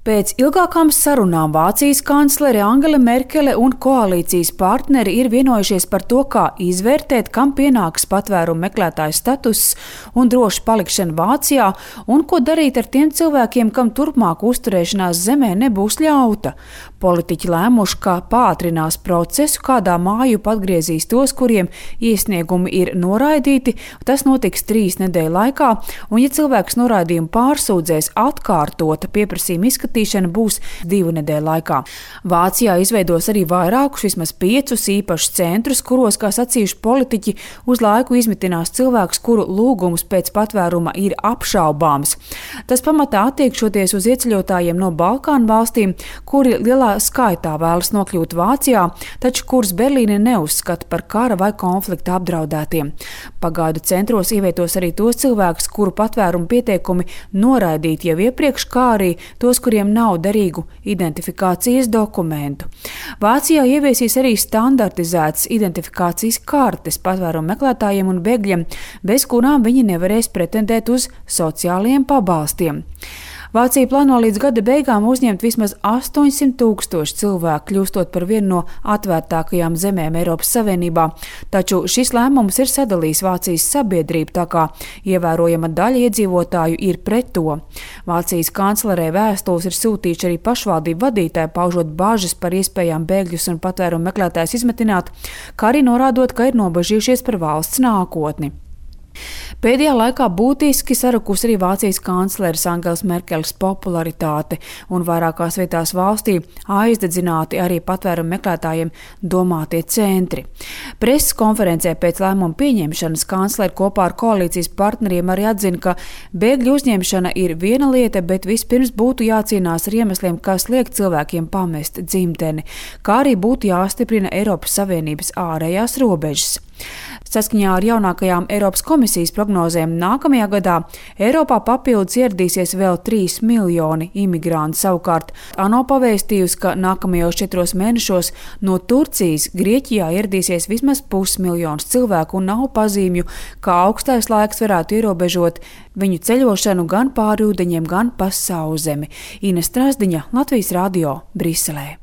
Pēc ilgākām sarunām Vācijas kanclere Angela Merkele un koalīcijas partneri ir vienojušies par to, kā izvērtēt, kam pienāks patvērumu meklētāju status un droša palikšana Vācijā, un ko darīt ar tiem cilvēkiem, kam turpmāk uzturēšanās zemē nebūs ļauta. Politiķi lēmuši, ka pātrinās procesu, kādā mājup atgriezīs tos, kuriem iesniegumi ir noraidīti. Tas notiks 3 nedēļu laikā, un ja cilvēks noraidījumu pārsūdzēs atkārtota pieprasījuma izskatīšana būs 2 nedēļu laikā. Vācijā izveidos arī vairākus, vismaz 5 īpašus centrus, kuros, kā sacījuši politiķi, uz laiku izmitinās cilvēkus, kuru lūgums pēc patvēruma ir apšaubāms. Tas pamatā attiekšoties uz ieceļotājiem no Balkānu valstīm, kuri lielā skaitā vēlas nokļūt Vācijā, taču kurus Berlīne neuzskata par kara vai konflikta apdraudētiem. Pagaidu centros ievietos arī tos cilvēkus, kuru patvērumu pieteikumi noraidīti jau iepriekš, kā arī tos, kuriem nav derīgu identifikācijas dokumentu. Vācijā ieviesīs arī standartizētas identifikācijas kartes patvērumu meklētājiem un bēgļiem, bez kurām viņi nevarēs pretendēt uz sociālajiem pabalstiem. Vācija plāno līdz gada beigām uzņemt vismaz 800 000 cilvēku, kļūstot par vienu no atvērtākajām zemēm Eiropas Savienībā, taču šis lēmums ir sadalījis Vācijas sabiedrību, tā kā ievērojama daļa iedzīvotāju ir pret to. Vācijas kanclerē vēstules ir sūtījuši arī pašvaldību vadītāji, paužot bažas par iespējām bēgļus un patvērumu meklētājus izmetināt, kā arī norādot, ka ir nobažījušies par valsts nākotni. Pēdējā laikā būtiski sarukusi arī Vācijas kancleres Angelas Merkeles popularitāte, un vairākās vietās valstī aizdedzināti arī patvērumu meklētājiem domātie centri. Preses konferencē pēc lēmuma pieņemšanas kanclere kopā ar koalīcijas partneriem arī atzina, ka bēgļu uzņemšana ir viena lieta, bet vispirms būtu jācīnās ar iemesliem, kas liek cilvēkiem pamest dzimteni, kā arī būtu jāstiprina Eiropas Savienības ārējās robežas. Saskaņā ar jaunākajām Eiropas komisijas prognozēm nākamajā gadā Eiropā papildus ieradīsies vēl 3 miljoni imigrantu. Savukārt ANO pavēstījusi, ka nākamajos 4 mēnešos no Turcijas Grieķijā ieradīsies vismaz 500 000 cilvēku un nav pazīmju, ka augstais laiks varētu ierobežot viņu ceļošanu gan pāri ūdeņiem, gan pa sauszemi. Ines Strasdiņa, Latvijas Radio, Briselē.